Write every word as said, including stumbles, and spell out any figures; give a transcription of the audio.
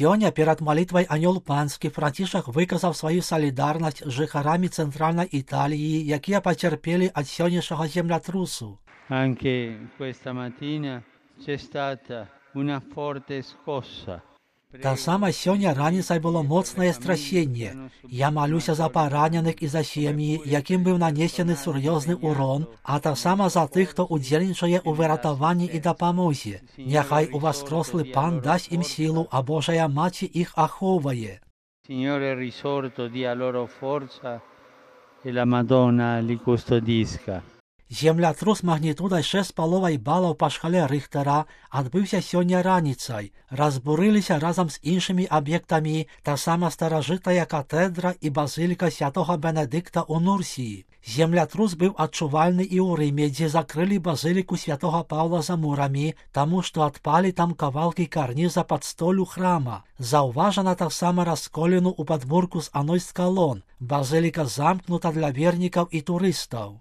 Сёння перад малітвай Анёл Панскі Францішак выказаў сваю салідарнасць з жыхарамі цэнтральнай Італіі, якія пацярпелі ад сённяшняга землятрусу. Anche questa mattina c'è stata una forte scossa. Таксама сёння раніцай было моцнае страсенне. Я малюся за параненых і за сем'і, якім быў нанесены сур'ёзны урон, а таксама за тых, хто удзельнічае ў выратаванні і дапамозе. Няхай уваскрослы Пан дасць ім сілу, а Божая Маці іх ахоўвае. Signore risorto dia loro forza e la Madonna li custodisca. Землятрус магнітудай шэсць з паловай балаў па шкале Рыхтара адбыўся сёння раніцай. Разбурыліся разам з іншымі аб'ектамі таксама старажытная катэдра і базыліка святога Бенедыкта ў Нурсіі. Землятрус быў адчувальны і ў Рыме, дзе закрылі базыліку святога Паўла за мурамі, таму што адпалі там кавалкі карніза пад столю храма. Заўважана таксама расколіну ў падмурку з адной з калон. Базыліка замкнута для вернікаў і турыстаў.